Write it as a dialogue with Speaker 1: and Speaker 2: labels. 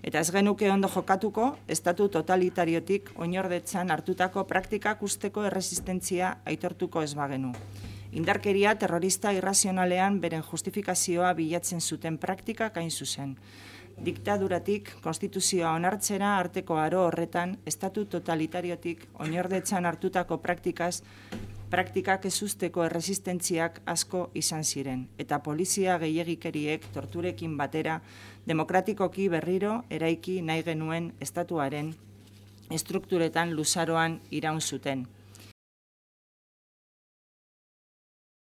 Speaker 1: Eta ez genuke ondo jokatuko, estatu totalitariotik oinordetzan hartutako praktikak usteko erresistentzia aitortuko ez bagenu. Indarkeria terrorista irrazionalean beren justifikazioa bilatzen zuten praktikak hain zuzen. Diktaduratik konstituzioa onartzera arteko aro horretan, estatu totalitariotik oinordetzan hartutako praktikak ez usteko erresistentziak asko izan ziren, eta polizia gehiegikeriek torturekin batera demokratikoki berriro eraiki nahi genuen estatuaren estrukturetan luzaroan iraun zuten.